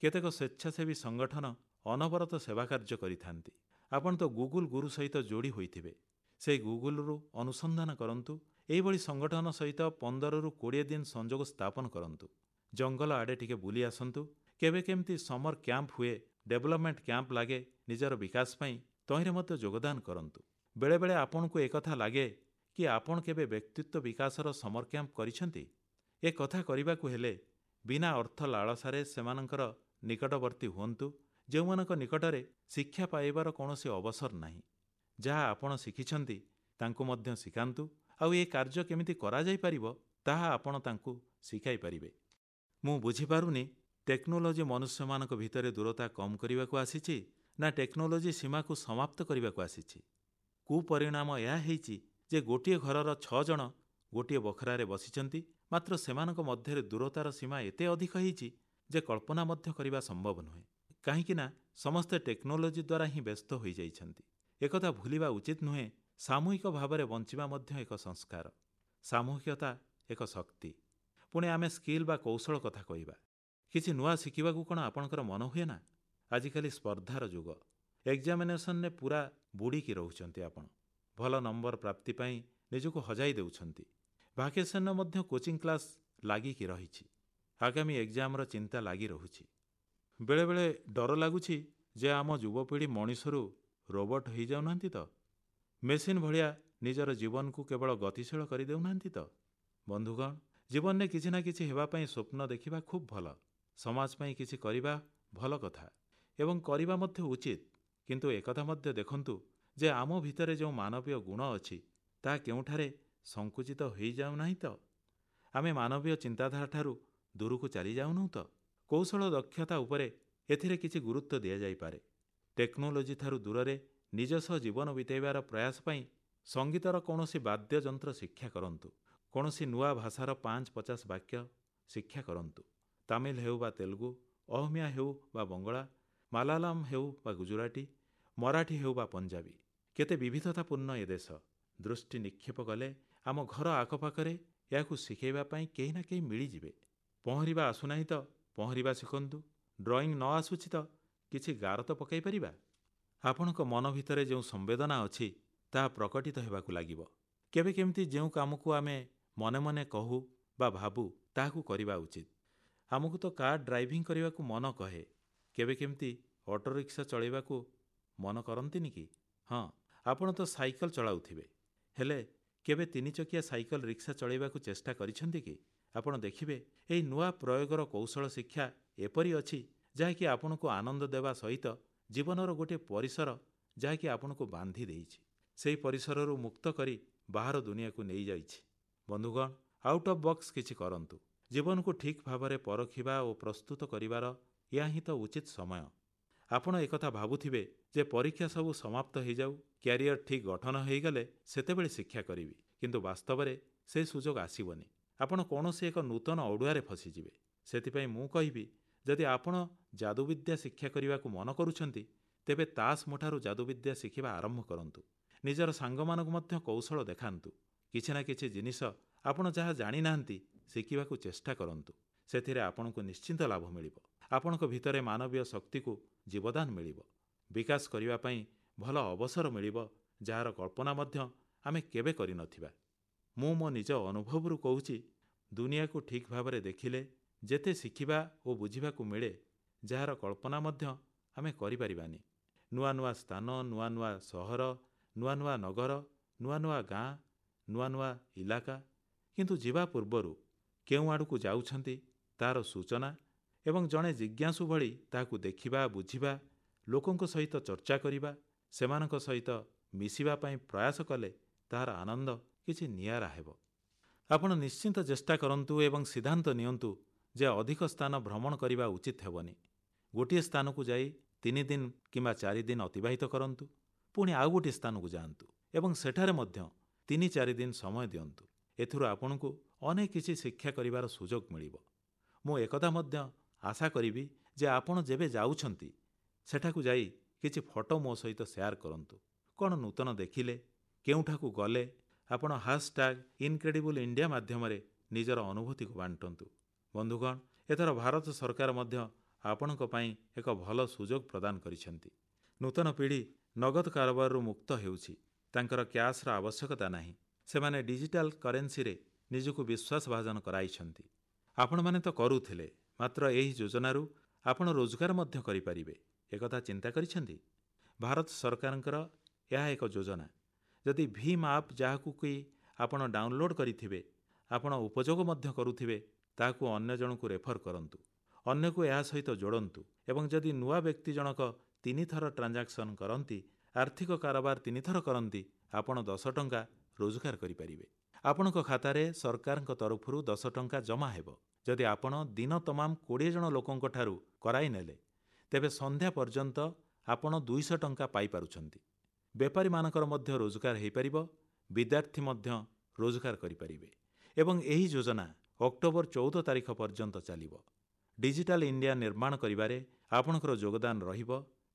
[SPEAKER 1] କେତେକ ସ୍ୱେଚ୍ଛାସେବୀ ସଂଗଠନ ଅନବରତ ସେବାକାର୍ଯ୍ୟ କରିଥାନ୍ତି। ଆପଣ ତ ଗୁଗଲ ଗୁରୁ ସହିତ ଯୋଡ଼ି ହୋଇଥିବେ। ସେହି ଗୁଗଲରୁ ଅନୁସନ୍ଧାନ କରନ୍ତୁ। ଏହିଭଳି ସଂଗଠନ ସହିତ ପନ୍ଦରରୁ କୋଡ଼ିଏ ଦିନ ସଂଯୋଗ ସ୍ଥାପନ କରନ୍ତୁ। ଜଙ୍ଗଲ ଆଡ଼େ ଟିକେ ବୁଲି ଆସନ୍ତୁ। କେବେ କେମିତି ସମର କ୍ୟାମ୍ପ ହୁଏ, ଡେଭଲପମେଣ୍ଟ କ୍ୟାମ୍ପ ଲାଗେ ନିଜର ବିକାଶ ପାଇଁ, ତହିଁରେ ମଧ୍ୟ ଯୋଗଦାନ କରନ୍ତୁ। ବେଳେବେଳେ ଆପଣଙ୍କୁ ଏକଥା ଲାଗେ କି ଆପଣ କେବେ ବ୍ୟକ୍ତିତ୍ୱ ବିକାଶର ସମର କ୍ୟାମ୍ପ କରିଛନ୍ତି? ଏ କଥା କରିବାକୁ ହେଲେ ବିନା ଅର୍ଥ ଲାଳସାରେ ସେମାନଙ୍କର ନିକଟବର୍ତ୍ତୀ ହୁଅନ୍ତୁ ଯେଉଁମାନଙ୍କ ନିକଟରେ ଶିକ୍ଷା ପାଇବାର କୌଣସି ଅବସର ନାହିଁ। ଯାହା ଆପଣ ଶିଖିଛନ୍ତି ତାଙ୍କୁ ମଧ୍ୟ ଶିଖାନ୍ତୁ ଆଉ ଏ କାର୍ଯ୍ୟ କେମିତି କରାଯାଇପାରିବ ତାହା ଆପଣ ତାଙ୍କୁ ଶିଖାଇପାରିବେ। ମୁଁ ବୁଝିପାରୁନି ଟେକ୍ନୋଲୋଜି ମନୁଷ୍ୟମାନଙ୍କ ଭିତରେ ଦୂରତା କମ୍ କରିବାକୁ ଆସିଛି ନା ଟେକ୍ନୋଲୋଜି ସୀମାକୁ ସମାପ୍ତ କରିବାକୁ ଆସିଛି। କୁପରିଣାମ ଏହା ହେଇଛି ଯେ ଗୋଟିଏ ଘରର ଛଅ ଜଣ ଗୋଟିଏ ବଖରାରେ ବସିଛନ୍ତି, ମାତ୍ର ସେମାନଙ୍କ ମଧ୍ୟରେ ଦୂରତାର ସୀମା ଏତେ ଅଧିକ ହେଇଛି ଯେ କଳ୍ପନା ମଧ୍ୟ କରିବା ସମ୍ଭବ ନୁହେଁ। କାହିଁକି ନା ସମସ୍ତେ ଟେକ୍ନୋଲୋଜି ଦ୍ୱାରା ହିଁ ବ୍ୟସ୍ତ ହୋଇଯାଇଛନ୍ତି। ଏକଥା ଭୁଲିବା ଉଚିତ ନୁହେଁ, ସାମୂହିକ ଭାବରେ ବଞ୍ଚିବା ମଧ୍ୟ ଏକ ସଂସ୍କାର। ସାମୂହିକତା ଏକ ଶକ୍ତି। ପୁଣି ଆମେ ସ୍କିଲ୍ ବା କୌଶଳ କଥା କହିବା। କିଛି ନୂଆ ଶିଖିବାକୁ କଣ ଆପଣଙ୍କର ମନ ହୁଏ ନା? ଆଜିକାଲି ସ୍ପର୍ଦ୍ଧାର ଯୁଗ। ଏକ୍ଜାମିନେସନରେ ପୂରା ବୁଡ଼ିକି ରହୁଛନ୍ତି ଆପଣ। ଭଲ ନମ୍ବର ପ୍ରାପ୍ତି ପାଇଁ ନିଜକୁ ହଜାଇ ଦେଉଛନ୍ତି। ଭାକେସନରେ ମଧ୍ୟ କୋଚିଂ କ୍ଲାସ୍ ଲାଗିକି ରହିଛି। ଆଗାମୀ ଏକ୍ଜାମର ଚିନ୍ତା ଲାଗି ରହୁଛି। ବେଳେବେଳେ ଡର ଲାଗୁଛି ଯେ ଆମ ଯୁବପିଢ଼ି ମଣିଷରୁ ରୋବର୍ଟ ହୋଇଯାଉନାହାନ୍ତି ତ? ମେସିନ୍ ଭଳିଆ ନିଜର ଜୀବନକୁ କେବଳ ଗତିଶୀଳ କରିଦେଉନାହାନ୍ତି ତ? ବନ୍ଧୁଗଣ, ଜୀବନରେ କିଛି ନା କିଛି ହେବା ପାଇଁ ସ୍ୱପ୍ନ ଦେଖିବା ଖୁବ୍ ଭଲ। ସମାଜ ପାଇଁ କିଛି କରିବା ଭଲ କଥା ଏବଂ କରିବା ମଧ୍ୟ ଉଚିତ। କିନ୍ତୁ ଏକଥା ମଧ୍ୟ ଦେଖନ୍ତୁ ଯେ ଆମ ଭିତରେ ଯେଉଁ ମାନବୀୟ ଗୁଣ ଅଛି ତାହା କେଉଁଠାରେ ସଂକୁଚିତ ହୋଇଯାଉନାହିଁ ତ? ଆମେ ମାନବୀୟ ଚିନ୍ତାଧାରାଠାରୁ ଦୂରକୁ ଚାଲିଯାଉନାହୁଁ ତ? କୌଶଳ ଦକ୍ଷତା ଉପରେ ଏଥିରେ କିଛି ଗୁରୁତ୍ୱ ଦିଆଯାଇପାରେ। ଟେକ୍ନୋଲୋଜିଠାରୁ ଦୂରରେ ନିଜ ସହ ଜୀବନ ବିତାଇବାର ପ୍ରୟାସ ପାଇଁ ସଙ୍ଗୀତର କୌଣସି ବାଦ୍ୟଯନ୍ତ୍ର ଶିକ୍ଷା କରନ୍ତୁ। କୌଣସି ନୂଆ ଭାଷାର ପାଞ୍ଚ ପଚାଶ ବାକ୍ୟ ଶିକ୍ଷା କରନ୍ତୁ। ତାମିଲ ହେଉ ବା ତେଲୁଗୁ, ଅହମିଆ ହେଉ ବା ବଙ୍ଗଳା, ମାଲାୟାଲମ ହେଉ ବା ଗୁଜରାଟୀ, ମରାଠୀ ହେଉ ବା ପଞ୍ଜାବୀ। କେତେ ବିବିଧତାପୂର୍ଣ୍ଣ ଏ ଦେଶ। ଦୃଷ୍ଟି ନିକ୍ଷେପ କଲେ ଆମ ଘର ଆଖପାଖରେ ଏହାକୁ ଶିଖାଇବା ପାଇଁ କେହି ନା କେହି ମିଳିଯିବେ। ପହଁରିବା ଆସୁନାହିଁ ତ ପହଁରିବା ଶିଖନ୍ତୁ। ଡ୍ରଇଂ ନ ଆସୁଛି ତ କିଛି ଗାର ତ ପକାଇ ପାରିବା। ଆପଣଙ୍କ ମନ ଭିତରେ ଯେଉଁ ସମ୍ବେଦନା ଅଛି ତାହା ପ୍ରକଟିତ ହେବାକୁ ଲାଗିବ। କେବେ କେମିତି ଯେଉଁ କାମକୁ ଆମେ ମନେ ମନେ କହୁ ବା ଭାବୁ ତାହାକୁ କରିବା ଉଚିତ। ଆମକୁ ତ କାର୍ ଡ୍ରାଇଭିଂ କରିବାକୁ ମନ କହେ, କେବେ କେମିତି ଅଟୋରିକ୍ସା ଚଳାଇବାକୁ ମନ କରନ୍ତିନି କି? ହଁ, ଆପଣ ତ ସାଇକେଲ ଚଳାଉଥିବେ, ହେଲେ କେବେ ତିନିଚକିଆ ସାଇକେଲ ରିକ୍ସା ଚଳାଇବାକୁ ଚେଷ୍ଟା କରିଛନ୍ତି କି? ଆପଣ ଦେଖିବେ ଏହି ନୂଆ ପ୍ରୟୋଗର କୌଶଳ ଶିକ୍ଷା ଏପରି ଅଛି ଯାହାକି ଆପଣଙ୍କୁ ଆନନ୍ଦ ଦେବା ସହିତ ଜୀବନର ଗୋଟିଏ ପରିସର ଯାହାକି ଆପଣଙ୍କୁ ବାନ୍ଧି ଦେଇଛି, ସେହି ପରିସରରୁ ମୁକ୍ତ କରି ବାହାର ଦୁନିଆକୁ ନେଇଯାଇଛି। ବନ୍ଧୁଗଣ, ଆଉଟ୍ ଅଫ୍ ବକ୍ସ କିଛି କରନ୍ତୁ। ଜୀବନକୁ ଠିକ୍ ଭାବରେ ପରଖିବା ଓ ପ୍ରସ୍ତୁତ କରିବାର ଏହା ହିଁ ତ ଉଚିତ ସମୟ। ଆପଣ ଏକଥା ଭାବୁଥିବେ ଯେ ପରୀକ୍ଷା ସବୁ ସମାପ୍ତ ହୋଇଯାଉ, କ୍ୟାରିୟର ଠିକ୍ ଗଠନ ହୋଇଗଲେ ସେତେବେଳେ ଶିକ୍ଷା କରିବି। କିନ୍ତୁ ବାସ୍ତବରେ ସେ ସୁଯୋଗ ଆସିବନି। ଆପଣ କୌଣସି ଏକ ନୂତନ ଅଡ଼ୁଆରେ ଫସିଯିବେ। ସେଥିପାଇଁ ମୁଁ କହିବି, ଯଦି ଆପଣ ଯାଦୁବିଦ୍ୟା ଶିକ୍ଷା କରିବାକୁ ମନ କରୁଛନ୍ତି ତେବେ ତାସ୍ ମୁଠାରୁ ଯାଦୁବିଦ୍ୟା ଶିଖିବା ଆରମ୍ଭ କରନ୍ତୁ। ନିଜର ସାଙ୍ଗମାନଙ୍କୁ ମଧ୍ୟ କୌଶଳ ଦେଖାନ୍ତୁ। କିଛି ନା କିଛି ଜିନିଷ ଆପଣ ଯାହା ଜାଣିନାହାନ୍ତି ଶିଖିବାକୁ ଚେଷ୍ଟା କରନ୍ତୁ। ସେଥିରେ ଆପଣଙ୍କୁ ନିଶ୍ଚିତ ଲାଭ ମିଳିବ। ଆପଣଙ୍କ ଭିତରେ ମାନବୀୟ ଶକ୍ତିକୁ ଜୀବଦାନ ମିଳିବ। ବିକାଶ କରିବା ପାଇଁ ଭଲ ଅବସର ମିଳିବ, ଯାହାର କଳ୍ପନା ମଧ୍ୟ ଆମେ କେବେ କରିନଥିବା। ମୁଁ ମୋ ନିଜ ଅନୁଭବରୁ କହୁଛି, ଦୁନିଆକୁ ଠିକ୍ ଭାବରେ ଦେଖିଲେ ଯେତେ ଶିଖିବା ଓ ବୁଝିବାକୁ ମିଳେ, ଯାହାର କଳ୍ପନା ମଧ୍ୟ ଆମେ କରିପାରିବାନି। ନୂଆ ନୂଆ ସ୍ଥାନ, ନୂଆ ନୂଆ ସହର, ନୂଆ ନୂଆ ନଗର, ନୂଆ ନୂଆ ଗାଁ, ନୂଆ ନୂଆ ଇଲାକା। କିନ୍ତୁ ଯିବା ପୂର୍ବରୁ କେଉଁ ଆଡ଼କୁ ଯାଉଛନ୍ତି, ତାହାର ସୂଚନା ଏବଂ ଜଣେ ଜିଜ୍ଞାସୁ ଭଳି ତାହାକୁ ଦେଖିବା, ବୁଝିବା, ଲୋକଙ୍କ ସହିତ ଚର୍ଚ୍ଚା କରିବା, ସେମାନଙ୍କ ସହିତ ମିଶିବା ପାଇଁ ପ୍ରୟାସ କଲେ ତାହାର ଆନନ୍ଦ କିଛି ନିଆରା ହେବ। ଆପଣ ନିଶ୍ଚିତ ଚେଷ୍ଟା କରନ୍ତୁ ଏବଂ ସିଦ୍ଧାନ୍ତ ନିଅନ୍ତୁ ଯେ ଅଧିକ ସ୍ଥାନ ଭ୍ରମଣ କରିବା ଉଚିତ ହେବନି। ଗୋଟିଏ ସ୍ଥାନକୁ ଯାଇ ତିନିଦିନ କିମ୍ବା ଚାରିଦିନ ଅତିବାହିତ କରନ୍ତୁ, ପୁଣି ଆଉ ଗୋଟିଏ ସ୍ଥାନକୁ ଯାଆନ୍ତୁ ଏବଂ ସେଠାରେ ମଧ୍ୟ ତିନି ଚାରିଦିନ ସମୟ ଦିଅନ୍ତୁ। ଏଥିରୁ ଆପଣଙ୍କୁ ଅନେକ କିଛି ଶିକ୍ଷା କରିବାର ସୁଯୋଗ ମିଳିବ। ମୁଁ ଏକଥା ମଧ୍ୟ ଆଶା କରିବି ଯେ ଆପଣ ଯେବେ ଯାଉଛନ୍ତି, ସେଠାକୁ ଯାଇ କିଛି ଫଟୋ ମୋ ସହିତ ଶେୟାର କରନ୍ତୁ। କଣ ନୂତନ ଦେଖିଲେ, କେଉଁଠାକୁ ଗଲେ, ଆପଣ ହାଶଟ୍ୟାଗ୍ ଇନକ୍ରେଡିବଲ୍ ଇଣ୍ଡିଆ ମାଧ୍ୟମରେ ନିଜର ଅନୁଭୂତିକୁ ବାଣ୍ଟନ୍ତୁ। ବନ୍ଧୁଗଣ, ଏଥର ଭାରତ ସରକାର ମଧ୍ୟ ଆପଣଙ୍କ ପାଇଁ ଏକ ଭଲ ସୁଯୋଗ ପ୍ରଦାନ କରିଛନ୍ତି। ନୂତନ ପିଢ଼ି ନଗଦ କାରବାରରୁ ମୁକ୍ତ ହେଉଛି। ତାଙ୍କର କ୍ୟାଶ୍ର ଆବଶ୍ୟକତା ନାହିଁ। ସେମାନେ ଡିଜିଟାଲ କରେନ୍ସିରେ ନିଜକୁ ବିଶ୍ୱାସଭାଜନ କରାଇଛନ୍ତି। ଆପଣମାନେ ତ କରୁଥିଲେ, ମାତ୍ର ଏହି ଯୋଜନାରୁ ଆପଣ ରୋଜଗାର ମଧ୍ୟ କରିପାରିବେ, ଏକଥା ଚିନ୍ତା କରିଛନ୍ତି? ଭାରତ ସରକାରଙ୍କର ଏହା ଏକ ଯୋଜନା। ଯଦି ଭୀମ୍ ଆପ୍ ଯାହାକୁ କି ଆପଣ ଡାଉନଲୋଡ୍ କରିଥିବେ, ଆପଣ ଉପଯୋଗ ମଧ୍ୟ କରୁଥିବେ, ତାହାକୁ ଅନ୍ୟ ଜଣକୁ ରେଫର କରନ୍ତୁ, ଅନ୍ୟକୁ ଏହା ସହିତ ଯୋଡ଼ନ୍ତୁ ଏବଂ ଯଦି ନୂଆ ବ୍ୟକ୍ତି ଜଣକ ତିନିଥର ଟ୍ରାଞ୍ଜାକ୍ସନ କରନ୍ତି, ଆର୍ଥିକ କାରବାର ତିନିଥର କରନ୍ତି, ଆପଣ ଦଶ ଟଙ୍କା ରୋଜଗାର କରିପାରିବେ। ଆପଣଙ୍କ ଖାତାରେ ସରକାରଙ୍କ ତରଫରୁ ଦଶ ଟଙ୍କା ଜମା ହେବ। ଯଦି ଆପଣ ଦିନ ତମାମ କୋଡ଼ିଏ ଜଣ ଲୋକଙ୍କଠାରୁ କରାଇନେଲେ, ତେବେ ସନ୍ଧ୍ୟା ପର୍ଯ୍ୟନ୍ତ ଆପଣ ଦୁଇଶହ ଟଙ୍କା ପାଇପାରୁଛନ୍ତି। ବେପାରୀମାନଙ୍କର ମଧ୍ୟ ରୋଜଗାର ହୋଇପାରିବ, ବିଦ୍ୟାର୍ଥୀ ମଧ୍ୟ ରୋଜଗାର କରିପାରିବେ ଏବଂ ଏହି ଯୋଜନା ଅକ୍ଟୋବର ଚଉଦ ତାରିଖ ପର୍ଯ୍ୟନ୍ତ ଚାଲିବ। ଡିଜିଟାଲ ଇଣ୍ଡିଆ ନିର୍ମାଣ କରିବାରେ ଆପଣଙ୍କର ଯୋଗଦାନ ରହିବ।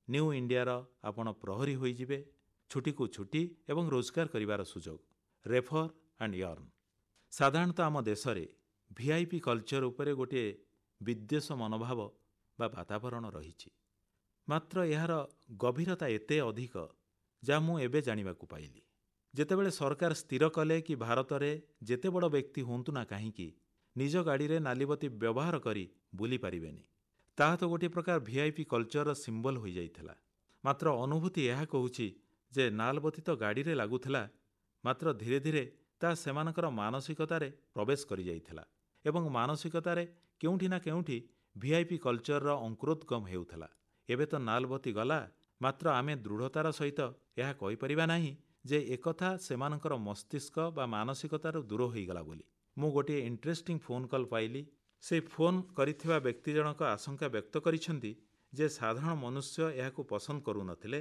[SPEAKER 1] ନ୍ୟୁ ଇଣ୍ଡିଆର ଆପଣ ପ୍ରହରୀ ହୋଇଯିବେ। ଛୁଟିକୁ ଛୁଟି ଏବଂ ରୋଜଗାର କରିବାର ସୁଯୋଗ। Refer and earn. ସାଧାରଣତଃ ଆମ ଦେଶରେ ଭିଆଇପି କଲଚର ଉପରେ ଗୋଟିଏ ବିଦ୍ୱେଷ ମନୋଭାବ ବା ବାତାବରଣ ରହିଛି। ମାତ୍ର ଏହାର ଗଭୀରତା ଏତେ ଅଧିକ ଯାହା ମୁଁ ଏବେ ଜାଣିବାକୁ ପାଇଲି। ଯେତେବେଳେ ସରକାର ସ୍ଥିର କଲେ କି ଭାରତରେ ଯେତେ ବଡ଼ ବ୍ୟକ୍ତି ହୁଅନ୍ତୁ ନା କାହିଁକି, ନିଜ ଗାଡ଼ିରେ ନାଲିବତୀ ବ୍ୟବହାର କରି ବୁଲିପାରିବେନି, ତାହା ତ ଗୋଟିଏ ପ୍ରକାର ଭିଆଇପି କଲଚରର ସିମ୍ବଲ ହୋଇଯାଇଥିଲା। ମାତ୍ର ଅନୁଭୂତି ଏହା କହୁଛି ଯେ ନାଲବତୀ ତ ଗାଡ଼ିରେ ଲାଗୁଥିଲା, ମାତ୍ର ଧୀରେ ଧୀରେ ତାହା ସେମାନଙ୍କର ମାନସିକତାରେ ପ୍ରବେଶ କରିଯାଇଥିଲା ଏବଂ ମାନସିକତାରେ କେଉଁଠି ନା କେଉଁଠି ଭିଆଇପି କଲଚରର ଅଙ୍କୁରୋଦ୍ଗମ ହେଉଥିଲା। ଏବେ ତ ନାଲବତୀ ଗଲା, ମାତ୍ର ଆମେ ଦୃଢ଼ତାର ସହିତ ଏହା କହିପାରିବା ନାହିଁ ଯେ ଏକଥା ସେମାନଙ୍କର ମସ୍ତିଷ୍କ ବା ମାନସିକତାରୁ ଦୂର ହୋଇଗଲା ବୋଲି। ମୁଁ ଗୋଟିଏ ଇଣ୍ଟରେଷ୍ଟିଂ ଫୋନ୍ କଲ୍ ପାଇଲି। ସେହି ଫୋନ୍ କରିଥିବା ବ୍ୟକ୍ତି ଜଣକ ଆଶଙ୍କା ବ୍ୟକ୍ତ କରିଛନ୍ତି ଯେ ସାଧାରଣ ମନୁଷ୍ୟ ଏହାକୁ ପସନ୍ଦ କରୁନଥିଲେ,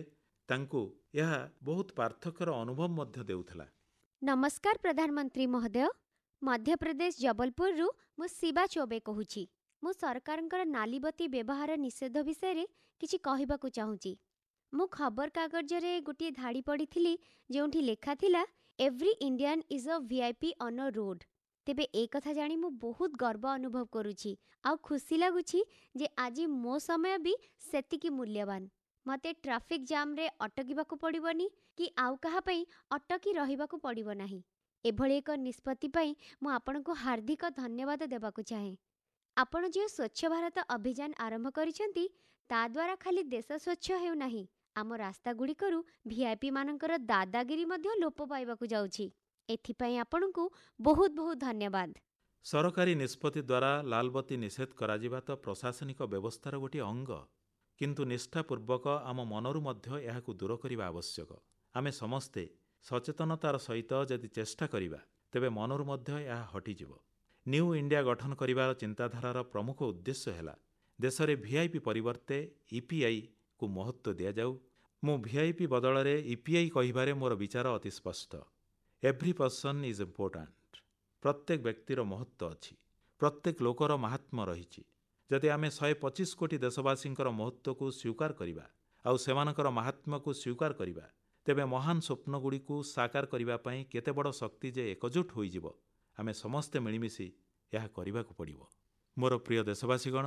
[SPEAKER 1] ତାଙ୍କୁ ଏହା ବହୁତ ପାର୍ଥକ୍ୟର ଅନୁଭବ ମଧ୍ୟ ଦେଉଥିଲା।
[SPEAKER 2] ନମସ୍କାର ପ୍ରଧାନମନ୍ତ୍ରୀ ମହୋଦୟ। ମଧ୍ୟପ୍ରଦେଶ ଜବଲପୁରରୁ ମୁଁ ଶିବା ଚୌବେ କହୁଛି। ମୁଁ ସରକାରଙ୍କର ନାଲିବତୀ ବ୍ୟବହାର ନିଷେଧ ବିଷୟରେ କିଛି କହିବାକୁ ଚାହୁଁଛି। ମୁଁ ଖବରକାଗଜରେ ଗୋଟିଏ ଧାଡ଼ି ପଢ଼ିଥିଲି ଯେଉଁଠି ଲେଖାଥିଲା, every Indian is a V I P on a road. ତେବେ ଏ କଥା ଜାଣି ମୁଁ ବହୁତ ଗର୍ବ ଅନୁଭବ କରୁଛି ଆଉ ଖୁସି ଲାଗୁଛି ଯେ ଆଜି ମୋ ସମୟ ବି ସେତିକି ମୂଲ୍ୟବାନ। ମୋତେ ଟ୍ରାଫିକ୍ ଜାମ୍ରେ ଅଟକିବାକୁ ପଡ଼ିବନି କି ଆଉ କାହା ପାଇଁ ଅଟକି ରହିବାକୁ ପଡ଼ିବ ନାହିଁ। ଏଭଳି ଏକ ନିଷ୍ପତ୍ତି ପାଇଁ ମୁଁ ଆପଣଙ୍କୁ ହାର୍ଦ୍ଦିକ ଧନ୍ୟବାଦ ଦେବାକୁ ଚାହେଁ। ଆପଣ ଯେଉଁ ସ୍ୱଚ୍ଛ ଭାରତ ଅଭିଯାନ ଆରମ୍ଭ କରିଛନ୍ତି, ତାଦ୍ୱାରା ଖାଲି ଦେଶ ସ୍ୱଚ୍ଛ ହେଉନାହିଁ, ଆମ ରାସ୍ତାଗୁଡ଼ିକରୁ ଭିଆଇପିମାନଙ୍କର ଦାଦାଗିରି ମଧ୍ୟ ଲୋପ ପାଇବାକୁ ଯାଉଛି। ଏଥିପାଇଁ ଆପଣଙ୍କୁ ବହୁତ ବହୁତ ଧନ୍ୟବାଦ।
[SPEAKER 1] ସରକାରୀ ନିଷ୍ପତ୍ତି ଦ୍ୱାରା ଲାଲବତୀ ନିଷେଧ କରାଯିବା ତ ପ୍ରଶାସନିକ ବ୍ୟବସ୍ଥାର ଗୋଟିଏ ଅଙ୍ଗ, କିନ୍ତୁ ନିଷ୍ଠାପୂର୍ବକ ଆମ ମନରୁ ମଧ୍ୟ ଏହାକୁ ଦୂର କରିବା ଆବଶ୍ୟକ। ଆମେ ସମସ୍ତେ ସଚେତନତାର ସହିତ ଯଦି ଚେଷ୍ଟା କରିବା, ତେବେ ମନରୁ ମଧ୍ୟ ଏହା ହଟିଯିବ। ନ୍ୟୁ ଇଣ୍ଡିଆ ଗଠନ କରିବାର ଚିନ୍ତାଧାରାର ପ୍ରମୁଖ ଉଦ୍ଦେଶ୍ୟ ହେଲା ଦେଶରେ ଭିଆଇପି ପରିବର୍ତ୍ତେ ଇପିଆଇକୁ ମହତ୍ତ୍ୱ ଦିଆଯାଉ। ମୁଁ ଭିଆଇପି ବଦଳରେ ଇପିଆଇ କହିବାରେ ମୋର ବିଚାର ଅତି ସ୍ପଷ୍ଟ। Every person is important. ପ୍ରତ୍ୟେକ ବ୍ୟକ୍ତିର ମହତ୍ତ୍ୱ ଅଛି, ପ୍ରତ୍ୟେକ ଲୋକର ମାହାତ୍ମ୍ୟ ରହିଛି। ଯଦି ଆମେ ଶହେ ପଚିଶ କୋଟି ଦେଶବାସୀଙ୍କର ମହତ୍ତ୍ୱକୁ ସ୍ୱୀକାର କରିବା ଆଉ ସେମାନଙ୍କର ମାହାତ୍ମ୍ୟକୁ ସ୍ୱୀକାର କରିବା, ତେବେ ମହାନ ସ୍ୱପ୍ନଗୁଡ଼ିକୁ ସାକାର କରିବା ପାଇଁ କେତେ ବଡ଼ ଶକ୍ତି ଯେ ଏକଜୁଟ ହୋଇଯିବ, ଆମେ ସମସ୍ତେ ମିଳିମିଶି ଏହା କରିବାକୁ ପଡ଼ିବ। ମୋର ପ୍ରିୟ ଦେଶବାସୀଗଣ,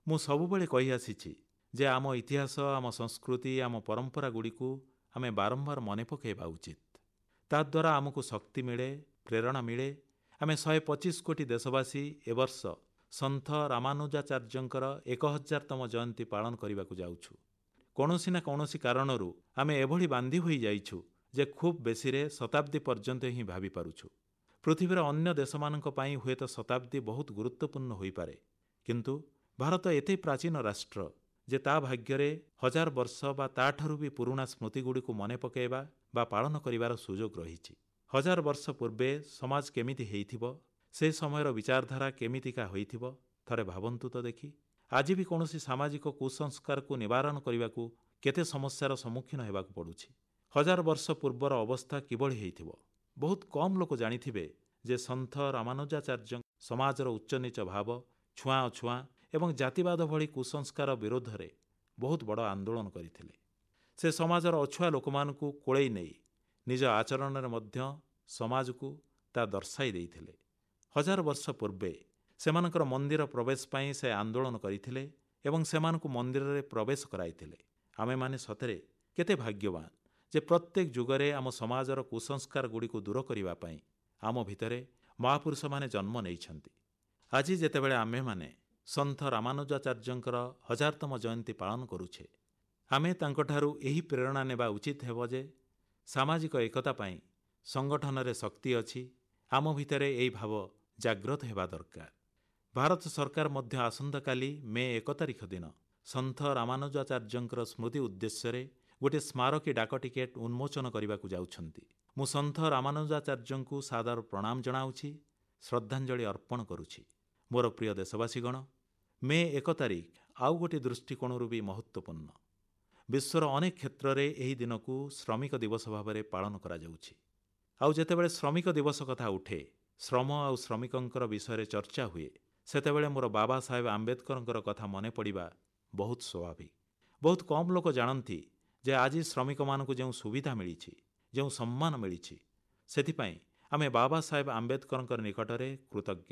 [SPEAKER 1] ମୁଁ ସବୁବେଳେ କହିଆସିଛି ଯେ ଆମ ଇତିହାସ, ଆମ ସଂସ୍କୃତି, ଆମ ପରମ୍ପରାଗୁଡ଼ିକୁ ଆମେ ବାରମ୍ବାର ମନେ ପକାଇବା ଉଚିତ। ତାଦ୍ୱାରା ଆମକୁ ଶକ୍ତି ମିଳେ, ପ୍ରେରଣା ମିଳେ। ଆମେ ଶହେ ପଚିଶ କୋଟି ଦେଶବାସୀ ଏ ବର୍ଷ ସନ୍ଥ ରାମାନୁଜାଚାର୍ଯ୍ୟଙ୍କର ଏକ ହଜାରତମ ଜୟନ୍ତୀ ପାଳନ କରିବାକୁ ଯାଉଛୁ। କୌଣସି ନା କୌଣସି କାରଣରୁ ଆମେ ଏଭଳି ବାନ୍ଧି ହୋଇଯାଇଛୁ ଯେ ଖୁବ୍ ବେଶୀରେ ଶତାବ୍ଦୀ ପର୍ଯ୍ୟନ୍ତ ହିଁ ଭାବିପାରୁଛୁ। ପୃଥିବୀର ଅନ୍ୟ ଦେଶମାନଙ୍କ ପାଇଁ ହୁଏତ ଶତାବ୍ଦୀ ବହୁତ ଗୁରୁତ୍ୱପୂର୍ଣ୍ଣ ହୋଇପାରେ, କିନ୍ତୁ ଭାରତ ଏତେ ପ୍ରାଚୀନ ରାଷ୍ଟ୍ର ଯେ ତା ଭାଗ୍ୟରେ ହଜାର ବର୍ଷ ବା ତାଠାରୁ ବି ପୁରୁଣା ସ୍ମୃତିଗୁଡ଼ିକୁ ମନେ ପକାଇବା ବା ପାଳନ କରିବାର ସୁଯୋଗ ରହିଛି। ହଜାର ବର୍ଷ ପୂର୍ବେ ସମାଜ କେମିତି ହେଇଥିବ, ସେ ସମୟର ବିଚାରଧାରା କେମିତିକା ହୋଇଥିବ, ଥରେ ଭାବନ୍ତୁ ତ ଦେଖି। ଆଜି ବି କୌଣସି ସାମାଜିକ କୁସଂସ୍କାରକୁ ନିବାରଣ କରିବାକୁ କେତେ ସମସ୍ୟାର ସମ୍ମୁଖୀନ ହେବାକୁ ପଡ଼ୁଛି। ହଜାର ବର୍ଷ ପୂର୍ବର ଅବସ୍ଥା କିଭଳି ହେଇଥିବ? ବହୁତ କମ୍ ଲୋକ ଜାଣିଥିବେ ଯେ ସନ୍ଥ ରାମାନୁଜାଚାର୍ଯ୍ୟ ସମାଜର ଉଚ୍ଚନୀଚ ଭାବ, ଛୁଆଁ ଅଛୁଆଁ ଏବଂ ଜାତିବାଦ ଭଳି କୁସଂସ୍କାର ବିରୋଧରେ ବହୁତ ବଡ଼ ଆନ୍ଦୋଳନ କରିଥିଲେ। ସେ ସମାଜର ଅଛୁଆଁ ଲୋକମାନଙ୍କୁ କୋଳେଇ ନେଇ ନିଜ ଆଚରଣରେ ମଧ୍ୟ ସମାଜକୁ ତା ଦର୍ଶାଇ ଦେଇଥିଲେ। ହଜାର ବର୍ଷ ପୂର୍ବେ ସେମାନଙ୍କର ମନ୍ଦିର ପ୍ରବେଶ ପାଇଁ ସେ ଆନ୍ଦୋଳନ କରିଥିଲେ ଏବଂ ସେମାନଙ୍କୁ ମନ୍ଦିରରେ ପ୍ରବେଶ କରାଇଥିଲେ। ଆମେମାନେ ସତରେ କେତେ ଭାଗ୍ୟବାନ ଯେ ପ୍ରତ୍ୟେକ ଯୁଗରେ ଆମ ସମାଜର କୁସଂସ୍କାରଗୁଡ଼ିକୁ ଦୂର କରିବା ପାଇଁ ଆମ ଭିତରେ ମହାପୁରୁଷମାନେ ଜନ୍ମ ନେଇଛନ୍ତି। ଆଜି ଯେତେବେଳେ ଆମ୍ଭେମାନେ ସନ୍ଥ ରାମାନୁଜାଚାର୍ଯ୍ୟଙ୍କର ହଜାରତମ ଜୟନ୍ତୀ ପାଳନ କରୁଛେ, ଆମେ ତାଙ୍କଠାରୁ ଏହି ପ୍ରେରଣା ନେବା ଉଚିତ ହେବ ଯେ ସାମାଜିକ ଏକତା ପାଇଁ ସଂଗଠନରେ ଶକ୍ତି ଅଛି। ଆମ ଭିତରେ ଏହି ଭାବ ଜାଗ୍ରତ ହେବା ଦରକାର। ଭାରତ ସରକାର ମଧ୍ୟ ଆସନ୍ତାକାଲି ମେ ଏକ ତାରିଖ ଦିନ ସନ୍ଥ ରାମାନୁଜାଚାର୍ଯ୍ୟଙ୍କର ସ୍ମୃତି ଉଦ୍ଦେଶ୍ୟରେ ଗୋଟିଏ ସ୍ମାରକୀ ଡାକ ଟିକେଟ ଉନ୍ମୋଚନ କରିବାକୁ ଯାଉଛନ୍ତି। ମୁଁ ସନ୍ଥ ରାମାନୁଜାଚାର୍ଯ୍ୟଙ୍କୁ ସାଦର ପ୍ରଣାମ ଜଣାଉଛି, ଶ୍ରଦ୍ଧାଞ୍ଜଳି ଅର୍ପଣ କରୁଛି। ମୋର ପ୍ରିୟ ଦେଶବାସୀଗଣ, ମେ ଏକ ତାରିଖ ଆଉ ଗୋଟିଏ ଦୃଷ୍ଟିକୋଣରୁ ବି ମହତ୍ତ୍ୱପୂର୍ଣ୍ଣ। ବିଶ୍ୱର ଅନେକ କ୍ଷେତ୍ରରେ ଏହି ଦିନକୁ ଶ୍ରମିକ ଦିବସ ଭାବରେ ପାଳନ କରାଯାଉଛି। ଆଉ ଯେତେବେଳେ ଶ୍ରମିକ ଦିବସ କଥା ଉଠେ, ଶ୍ରମ ଆଉ ଶ୍ରମିକଙ୍କର ବିଷୟରେ ଚର୍ଚ୍ଚା ହୁଏ, ସେତେବେଳେ ମୋର ବାବା ସାହେବ ଆମ୍ବେଦକରଙ୍କର କଥା ମନେ ପଡ଼ିବା ବହୁତ ସ୍ୱାଭାବିକ। ବହୁତ କମ୍ ଲୋକ ଜାଣନ୍ତି ଯେ ଆଜି ଶ୍ରମିକମାନଙ୍କୁ ଯେଉଁ ସୁବିଧା ମିଳିଛି, ଯେଉଁ ସମ୍ମାନ ମିଳିଛି, ସେଥିପାଇଁ ଆମେ ବାବା ସାହେବ ଆମ୍ବେଦକରଙ୍କ ନିକଟରେ କୃତଜ୍ଞ।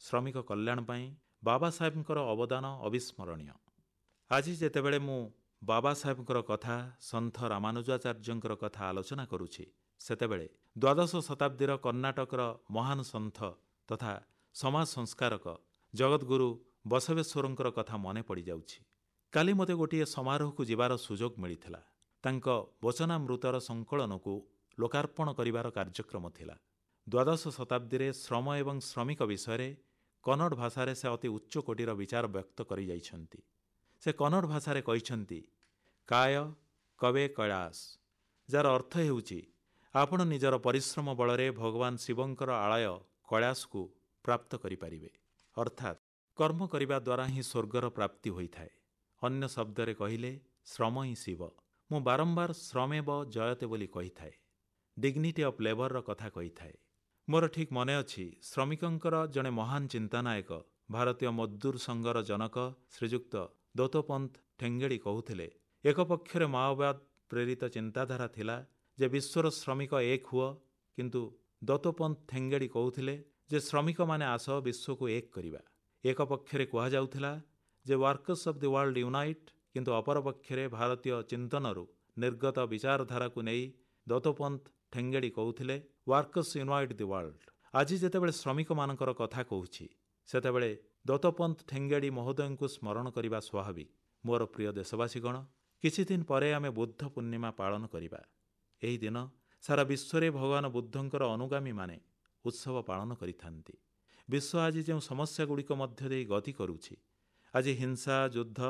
[SPEAKER 1] ଶ୍ରମିକ କଲ୍ୟାଣ ପାଇଁ ବାବା ସାହେବଙ୍କର ଅବଦାନ ଅବିସ୍ମରଣୀୟ। ଆଜି ଯେତେବେଳେ ମୁଁ ବାବା ସାହେବଙ୍କର କଥା, ସନ୍ଥ ରାମାନୁଜାଚାର୍ଯ୍ୟଙ୍କର କଥା ଆଲୋଚନା କରୁଛି, ସେତେବେଳେ ଦ୍ୱାଦଶ ଶତାବ୍ଦୀର କର୍ଣ୍ଣାଟକର ମହାନ ସନ୍ଥ ତଥା ସମାଜ ସଂସ୍କାରକ ଜଗଦ୍ଗୁରୁ ବସବେଶ୍ୱରଙ୍କର କଥା ମନେ ପଡ଼ିଯାଉଛି। କାଲି ମୋତେ ଗୋଟିଏ ସମାରୋହକୁ ଯିବାର ସୁଯୋଗ ମିଳିଥିଲା। ତାଙ୍କ ବଚନାମୃତର ସଂକଳନକୁ ଲୋକାର୍ପଣ କରିବାର କାର୍ଯ୍ୟକ୍ରମ ଥିଲା। ଦ୍ୱାଦଶ ଶତାବ୍ଦୀରେ ଶ୍ରମ ଏବଂ ଶ୍ରମିକ ବିଷୟରେ କନ୍ନଡ଼ ଭାଷାରେ ସେ ଅତି ଉଚ୍ଚକୋଟୀର ବିଚାର ବ୍ୟକ୍ତ କରିଯାଇଛନ୍ତି। ସେ କନ୍ନଡ଼ ଭାଷାରେ କହିଛନ୍ତି, କାୟ କବେ କୈଳାସ, ଯାହାର ଅର୍ଥ ହେଉଛି ଆପଣ ନିଜର ପରିଶ୍ରମ ବଳରେ ଭଗବାନ ଶିବଙ୍କର ଆଳୟ କୈଳାସକୁ ପ୍ରାପ୍ତ କରିପାରିବେ। ଅର୍ଥାତ୍ କର୍ମ କରିବା ଦ୍ୱାରା ହିଁ ସ୍ୱର୍ଗର ପ୍ରାପ୍ତି ହୋଇଥାଏ। ଅନ୍ୟ ଶବ୍ଦରେ କହିଲେ ଶ୍ରମ ହିଁ ଶିବ। ମୁଁ ବାରମ୍ବାର ଶ୍ରମେବ ଜୟତେ ବୋଲି କହିଥାଏ, ଡିଗ୍ନିଟି ଅଫ୍ ଲେବରର କଥା କହିଥାଏ। ମୋର ଠିକ୍ ମନେ ଅଛି, ଶ୍ରମିକଙ୍କର ଜଣେ ମହାନ ଚିନ୍ତାନାୟକ, ଭାରତୀୟ ମଜଦୁର ସଂଘର ଜନକ ଶ୍ରୀଯୁକ୍ତ ଦତ୍ତୋପନ୍ତ ଠେଙ୍ଗେଡ଼ି କହୁଥିଲେ, ଏକ ପକ୍ଷରେ ମାଓବାଦ ପ୍ରେରିତ ଚିନ୍ତାଧାରା ଥିଲା ଯେ ବିଶ୍ୱର ଶ୍ରମିକ ଏକ ହୁଅ, କିନ୍ତୁ ଦତ୍ତୋପନ୍ତ ଠେଙ୍ଗେଡ଼ି କହୁଥିଲେ ଯେ ଶ୍ରମିକମାନେ ଆସ ବିଶ୍ୱକୁ ଏକ କରିବା। ଏକ ପକ୍ଷରେ କୁହାଯାଉଥିଲା ଯେ workers of the world unite, କିନ୍ତୁ ଅପରପକ୍ଷରେ ଭାରତୀୟ ଚିନ୍ତନରୁ ନିର୍ଗତ ବିଚାରଧାରାକୁ ନେଇ ଦତ୍ତୋପନ୍ତ ଠେଙ୍ଗେଡ଼ି କହୁଥିଲେ ୱାର୍କର୍ସ ୟୁନାଇଟ୍ ଦି ୱାର୍ଲଡ। ଆଜି ଯେତେବେଳେ ଶ୍ରମିକମାନଙ୍କର କଥା କହୁଛି, ସେତେବେଳେ ଦତ୍ତୋପନ୍ତ ଠେଙ୍ଗେଡ଼ି ମହୋଦୟଙ୍କୁ ସ୍ମରଣ କରିବା ସ୍ୱାଭାବିକ। ମୋର ପ୍ରିୟ ଦେଶବାସୀଗଣ, କିଛି ଦିନ ପରେ ଆମେ ବୁଦ୍ଧ ପୂର୍ଣ୍ଣିମା ପାଳନ କରିବା। ଏହି ଦିନ ସାରା ବିଶ୍ୱରେ ଭଗବାନ ବୁଦ୍ଧଙ୍କର ଅନୁଗାମୀମାନେ ଉତ୍ସବ ପାଳନ କରିଥାନ୍ତି। ବିଶ୍ୱ ଆଜି ଯେଉଁ ସମସ୍ୟାଗୁଡ଼ିକ ମଧ୍ୟ ଦେଇ ଗତି କରୁଛି, ଆଜି ହିଂସା, ଯୁଦ୍ଧ,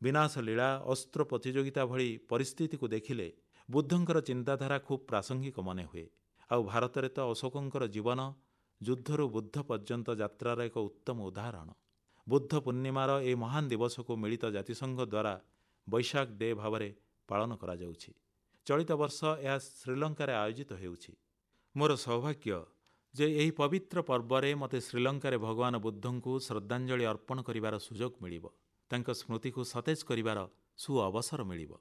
[SPEAKER 1] ବିନାଶଲୀଳା, ଅସ୍ତ୍ର ପ୍ରତିଯୋଗିତା ଭଳି ପରିସ୍ଥିତିକୁ ଦେଖିଲେ ବୁଦ୍ଧଙ୍କର ଚିନ୍ତାଧାରା ଖୁବ୍ ପ୍ରାସଙ୍ଗିକ ମନେ ହୁଏ। ଆଉ ଭାରତରେ ତ ଅଶୋକଙ୍କର ଜୀବନ ଯୁଦ୍ଧରୁ ବୁଦ୍ଧ ପର୍ଯ୍ୟନ୍ତ ଯାତ୍ରାର ଏକ ଉତ୍ତମ ଉଦାହରଣ। ବୁଦ୍ଧ ପୂର୍ଣ୍ଣିମାର ଏହି ମହାନ ଦିବସକୁ ମିଳିତ ଜାତିସଂଘ ଦ୍ୱାରା ବୈଶାଖ ଡେ ଭାବରେ ପାଳନ କରାଯାଉଛି। ଚଳିତ ବର୍ଷ ଏହା ଶ୍ରୀଲଙ୍କାରେ ଆୟୋଜିତ ହେଉଛି। ମୋର ସୌଭାଗ୍ୟ ଯେ ଏହି ପବିତ୍ର ପର୍ବରେ ମୋତେ ଶ୍ରୀଲଙ୍କାରେ ଭଗବାନ ବୁଦ୍ଧଙ୍କୁ ଶ୍ରଦ୍ଧାଞ୍ଜଳି ଅର୍ପଣ କରିବାର ସୁଯୋଗ ମିଳିବ, ତାଙ୍କ ସ୍ମୃତିକୁ ସତେଜ କରିବାର ସୁଅବସର ମିଳିବ।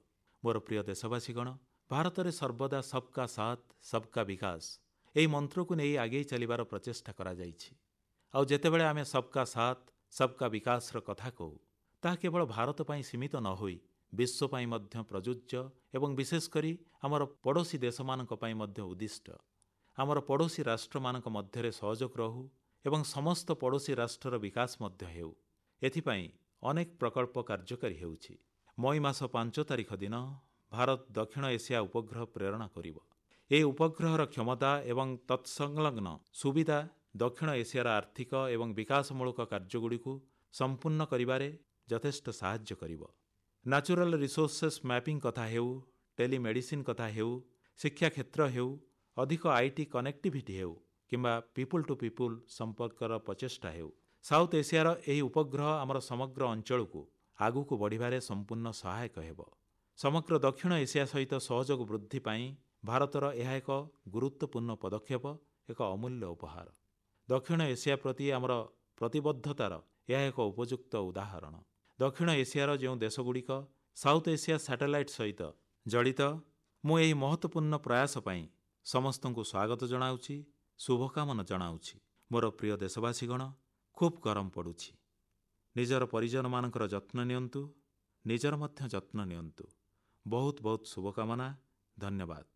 [SPEAKER 1] ମୋର ପ୍ରିୟ ଦେଶବାସୀଗଣ, ଭାରତରେ ସର୍ବଦା ସବକା ସାଥ ସବକା ବିକାଶ ଏହି ମନ୍ତ୍ରକୁ ନେଇ ଆଗେଇ ଚାଲିବାର ପ୍ରଚେଷ୍ଟା କରାଯାଇଛି। ଆଉ ଯେତେବେଳେ ଆମେ ସବକା ସାଥ ସବକା ବିକାଶର କଥା କହୁ, ତାହା କେବଳ ଭାରତ ପାଇଁ ସୀମିତ ନ ହୋଇ ବିଶ୍ୱ ପାଇଁ ମଧ୍ୟ ପ୍ରଯୁଜ୍ୟ ଏବଂ ବିଶେଷ କରି ଆମର ପଡ଼ୋଶୀ ଦେଶମାନଙ୍କ ପାଇଁ ମଧ୍ୟ ଉଦ୍ଦିଷ୍ଟ। ଆମର ପଡ଼ୋଶୀ ରାଷ୍ଟ୍ରମାନଙ୍କ ମଧ୍ୟରେ ସହଯୋଗ ରହୁ ଏବଂ ସମସ୍ତ ପଡ଼ୋଶୀ ରାଷ୍ଟ୍ରର ବିକାଶ ମଧ୍ୟ ହେଉ, ଏଥିପାଇଁ ଅନେକ ପ୍ରକଳ୍ପ କାର୍ଯ୍ୟକାରୀ ହେଉଛି। ମଇ ମାସ ପାଞ୍ଚ ତାରିଖ ଦିନ ଭାରତ ଦକ୍ଷିଣ ଏସିଆ ଉପଗ୍ରହ ପ୍ରେରଣ କରିବ। ଏହି ଉପଗ୍ରହର କ୍ଷମତା ଏବଂ ତତ୍ସଂଲଗ୍ନ ସୁବିଧା ଦକ୍ଷିଣ ଏସିଆର ଆର୍ଥିକ ଏବଂ ବିକାଶମୂଳକ କାର୍ଯ୍ୟଗୁଡ଼ିକୁ ସମ୍ପୂର୍ଣ୍ଣ କରିବାରେ ଯଥେଷ୍ଟ ସାହାଯ୍ୟ କରିବ। ନ୍ୟାଚୁରାଲ ରିସୋର୍ସେସ୍ ମ୍ୟାପିଂ କଥା ହେଉ, ଟେଲିମେଡିସିନ୍ କଥା ହେଉ, ଶିକ୍ଷା କ୍ଷେତ୍ର ହେଉ, ଅଧିକ IT connectivity ହେଉ କିମ୍ବା ପିପୁଲ୍ ଟୁ ପିପୁଲ୍ ସମ୍ପର୍କର ପ୍ରଚେଷ୍ଟା ହେଉ, ସାଉଥ୍ ଏସିଆର ଏହି ଉପଗ୍ରହ ଆମର ସମଗ୍ର ଅଂଚଳକୁ ଆଗକୁ ବଢ଼ିବାରେ ସମ୍ପୂର୍ଣ୍ଣ ସହାୟକ ହେବ। ସମଗ୍ର ଦକ୍ଷିଣ ଏସିଆ ସହିତ ସହଯୋଗ ବୃଦ୍ଧି ପାଇଁ ଭାରତର ଏହା ଏକ ଗୁରୁତ୍ୱପୂର୍ଣ୍ଣ ପଦକ୍ଷେପ, ଏକ ଅମୂଲ୍ୟ ଉପହାର। ଦକ୍ଷିଣ ଏସିଆ ପ୍ରତି ଆମର ପ୍ରତିବଦ୍ଧତାର ଏହା ଏକ ଉପଯୁକ୍ତ ଉଦାହରଣ। ଦକ୍ଷିଣ ଏସିଆର ଯେଉଁ ଦେଶଗୁଡ଼ିକ ସାଉଥ୍ ଏସିଆ ସାଟେଲାଇଟ୍ ସହିତ ଜଡ଼ିତ, ମୁଁ ଏହି ମହତ୍ୱପୂର୍ଣ୍ଣ ପ୍ରୟାସ ପାଇଁ ସମସ୍ତଙ୍କୁ ସ୍ୱାଗତ ଜଣାଉଛି, ଶୁଭକାମନା ଜଣାଉଛି। ମୋର ପ୍ରିୟ ଦେଶବାସୀଗଣ, ଖୁବ୍ ଗରମ ପଡ଼ୁଛି। ନିଜର ପରିଜନମାନଙ୍କର ଯତ୍ନ ନିଅନ୍ତୁ, ନିଜର ମଧ୍ୟ ଯତ୍ନ ନିଅନ୍ତୁ। ବହୁତ ବହୁତ ଶୁଭକାମନା। ଧନ୍ୟବାଦ।